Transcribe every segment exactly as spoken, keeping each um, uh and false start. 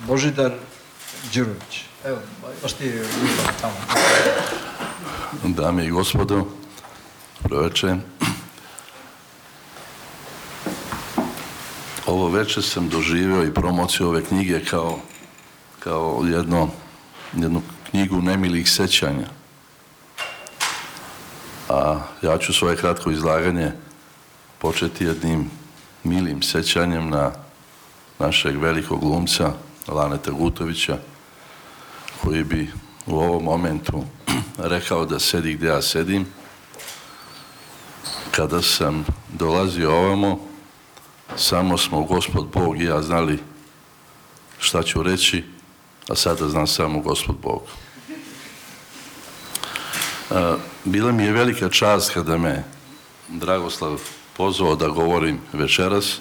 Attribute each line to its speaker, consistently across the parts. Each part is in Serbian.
Speaker 1: Božidar Đurović. Evo, baš ti je tamo.
Speaker 2: Dame i gospodo, dobro večer. Ovo večer sam doživio i promociju ove knjige kao, kao jedno, jednu knjigu nemilih sećanja. A ja ću svoje kratko izlaganje početi jednim milim sećanjem na našeg velikog glumca Laneta Gutovića, koji bi u ovom momentu rekao da sedi gdje ja sedim. Kada sam dolazio ovamo, samo smo Gospod Bog i ja znali šta ću reći, a sada znam samo Gospod Bog. Bila mi je velika čast kada me Dragoslav pozvao da govorim večeras,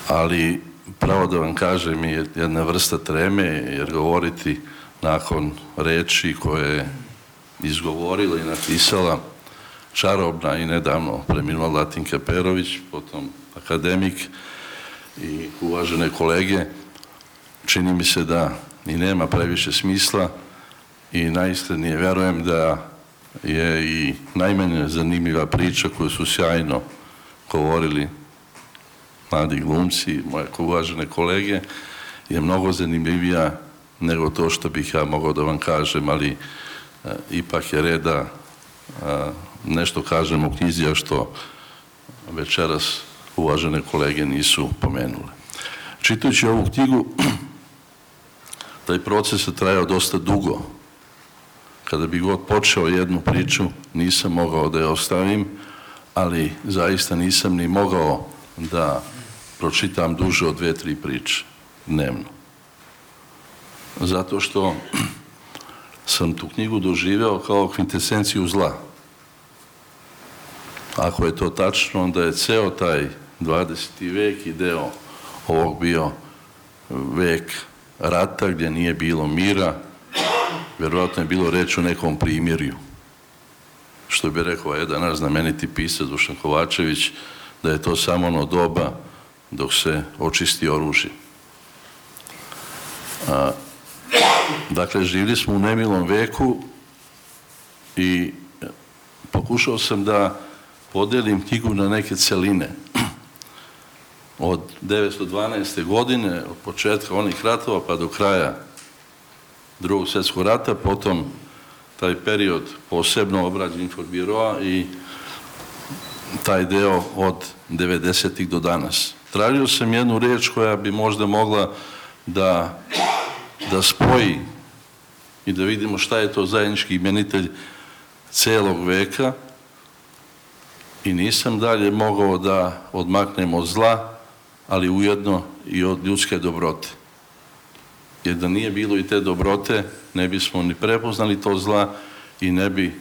Speaker 2: ali pravo da vam kažem je jedna vrsta treme, jer govoriti nakon reči koje je izgovorila i napisala čarobna i nedavno preminula Latinka Perović, potom akademik i uvažene kolege, čini mi se da i nema previše smisla i najiskrenije vjerujem da je i najmanje zanimljiva priča koju su sjajno govorili mladi glumci, moje uvažene kolege, je mnogo zanimljivija nego to što bih ja mogao da vam kažem, ali a, ipak je red da a, nešto kažem u knjizi, a što večeras uvažene kolege nisu pomenule. Čitajući ovu knjigu, taj proces je trajao dosta dugo. Kada bi god počeo jednu priču, nisam mogao da je ostavim, ali zaista nisam ni mogao da pročitam duže od dve, tri priče dnevno. Zato što sam tu knjigu doživeo kao kvintesenciju zla. Ako je to tačno, onda je ceo taj dvadeseti vek i deo ovog bio vek rata gdje nije bilo mira, vjerovatno je bilo reč o nekom primirju. Što bi rekao jedan naš znameniti pisac Dušan Kovačević, da je to samo ono doba dok se očisti oružje. A, dakle, živjeli smo u nemilom veku i pokušao sam da podelim knjigu na neke celine. Od devetsto dvanaeste. godine, od početka onih ratova pa do kraja Drugog svjetskog rata, potom taj period posebno obrađen Inforbiroa i taj deo od devedesetih do danas. Tražio sam jednu riječ koja bi možda mogla da, da spoji i da vidimo šta je to zajednički imenitelj celog veka i nisam dalje mogao da odmaknem od zla, ali ujedno i od ljudske dobrote. Jer da nije bilo i te dobrote, ne bismo ni prepoznali to zla i ne bi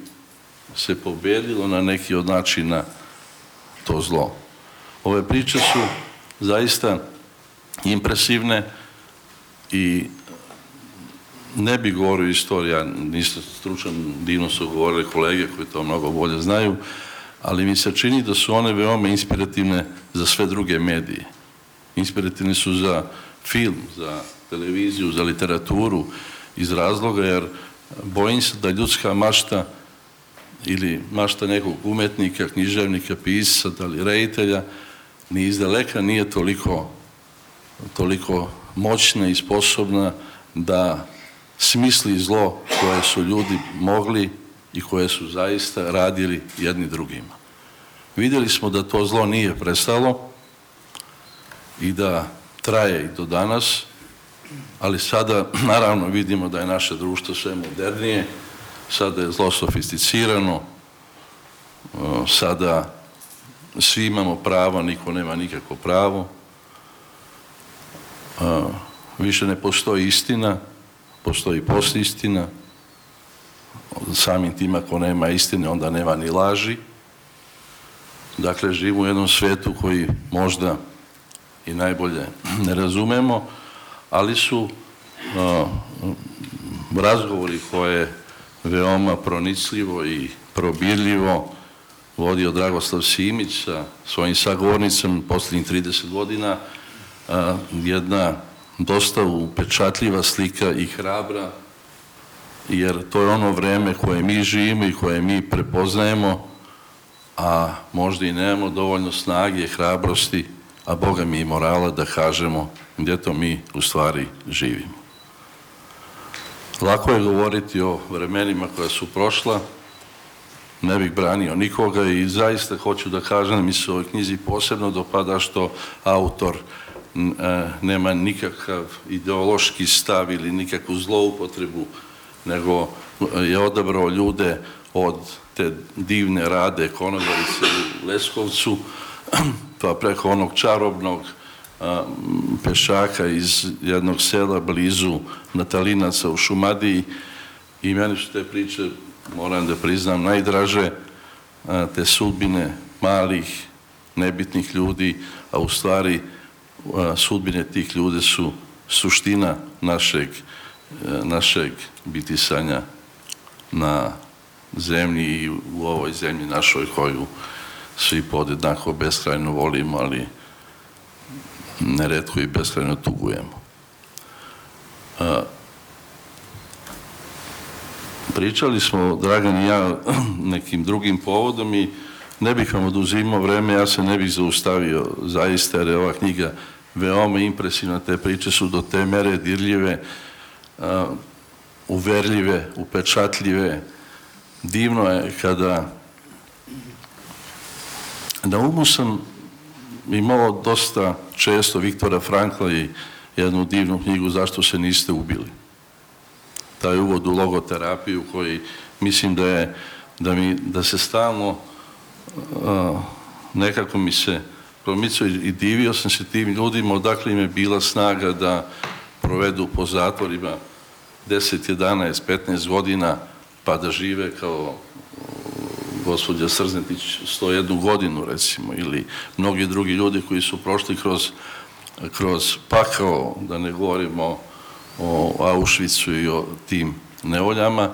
Speaker 2: se pobedilo na neki od načina to zlo. Ove priče su zaista impresivne i ne bi govorio istorija, nisam stručan, divno su govorili kolege koji to mnogo bolje znaju, ali mi se čini da su one veoma inspirativne za sve druge medije. Inspirativne su za film, za televiziju, za literaturu, iz razloga jer bojim se da ljudska mašta ili mašta nekog umetnika, književnika, pisca, da li reditelja, ni izdaleka nije toliko, toliko moćna i sposobna da smisli zlo koje su ljudi mogli i koje su zaista radili jedni drugima. Vidjeli smo da to zlo nije prestalo i da traje i do danas, ali sada naravno vidimo da je naše društvo sve modernije, sada je zlo sofisticirano, sada svi imamo pravo, niko nema nikakvo pravo, više ne postoji istina, postoji postistina, samim tim ako nema istine onda nema ni laži. Dakle, živimo u jednom svijetu koji možda i najbolje ne razumemo, ali su uh, razgovori koje veoma pronicljivo i probirljivo vodio Dragoslav Simić sa svojim sagovornicom posljednjih trideset godina, jedna dosta upečatljiva slika i hrabra, jer to je ono vreme koje mi živimo i koje mi prepoznajemo, a možda i nemamo dovoljno snage, hrabrosti, a Boga mi i morala da kažemo gdje to mi u stvari živimo. Lako je govoriti o vremenima koja su prošla, ne bih branio nikoga i zaista hoću da kažem da mi se u ovoj knjizi posebno dopada što autor nema nikakav ideološki stav ili nikakvu zloupotrebu, nego je odabrao ljude od te divne Rade Konobarice u Leskovcu, pa preko onog čarobnog pešaka iz jednog sela blizu Natalinaca u Šumadiji. I meni su te priče, moram da priznam, najdraže, te sudbine malih, nebitnih ljudi, a u stvari sudbine tih ljudi su suština našeg, našeg bitisanja na zemlji i u ovoj zemlji našoj koju svi podjednako beskrajno volimo, ali neretko i beskrajno tugujemo. Pričali smo, Dragan i ja, nekim drugim povodom i ne bih vam oduzimao vreme, ja se ne bih zaustavio zaista, jer je ova knjiga veoma impresivna, te priče su do te mere dirljive, uverljive, upečatljive. Divno je kada na umu sam imao dosta često Viktora Frankla i jednu divnu knjigu Zašto se niste ubili. Taj uvod u logoterapiju koji mislim da je, da, mi, da se stalno uh, nekako mi se promicao i divio sam se tim ljudima, odakle im je bila snaga da provedu po zatvorima deset, jedanaest, petnaest godina, pa da žive kao gospođa Srznetić sto jednu godinu, recimo, ili mnogi drugi ljudi koji su prošli kroz, kroz pakao, da ne govorimo o Auschwitzu i o tim nevoljama,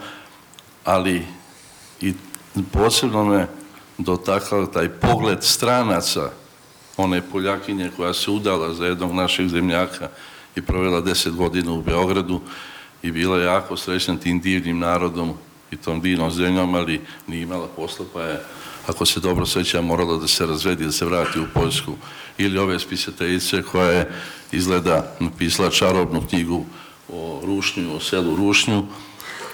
Speaker 2: ali i posebno me dotakao taj pogled stranaca, one Poljakinje koja se udala za jednog našeg zemljaka i provela deset godina u Beogradu i bila jako srećna tim divnim narodom i tom divnom zemljom, ali nije imala posla, pa je, ako se dobro sjeća, morala da se razvedi, da se vrati u Poljsku. Ili ove spisateljice koja je izgleda napisala čarobnu knjigu o Rušnju, o selu Rušnju,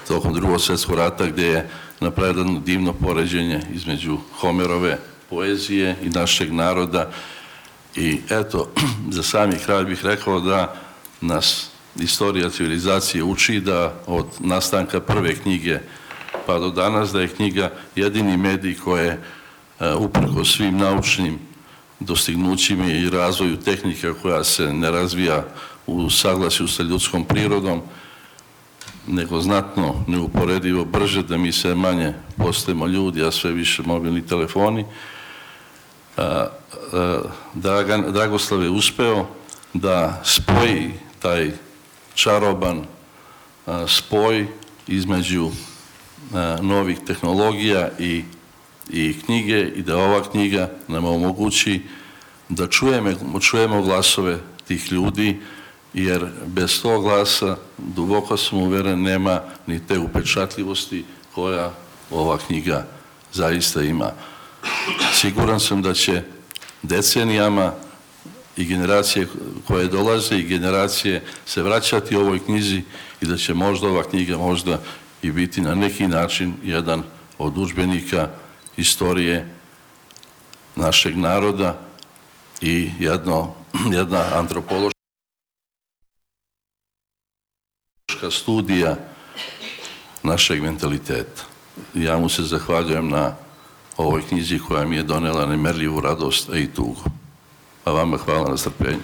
Speaker 2: tokom Drugog svjetskog rata, gdje je napravljeno divno poređenje između Homerove poezije i našeg naroda. I eto, za sami kraj bih rekao da nas istorija civilizacije uči da od nastanka prve knjige pa do danas da je knjiga jedini medij koje uprkos svim naučnim dostignućima i razvoju tehnika koja se ne razvija u saglasju sa ljudskom prirodom, nego znatno neuporedivo brže, da mi sve manje postajemo ljudi, a sve više mobilni telefoni. Dragan, Dragoslav je uspeo da spoji taj čaroban spoj između novih tehnologija i, i knjige i da ova knjiga nam omogući da čujemo, čujemo glasove tih ljudi, jer bez tog glasa, duboko sam uveren, nema ni te upečatljivosti koja ova knjiga zaista ima. Siguran sam da će decenijama i generacije koje dolaze i generacije se vraćati ovoj knjizi i da će možda ova knjiga možda i biti na neki način jedan od udžbenika istorije našeg naroda i jedno, jedna antropološka studija našeg mentaliteta. Ja mu se zahvaljujem na ovoj knjizi koja mi je donela nemerljivu radost, a i tugu. A vama hvala na strpljenju.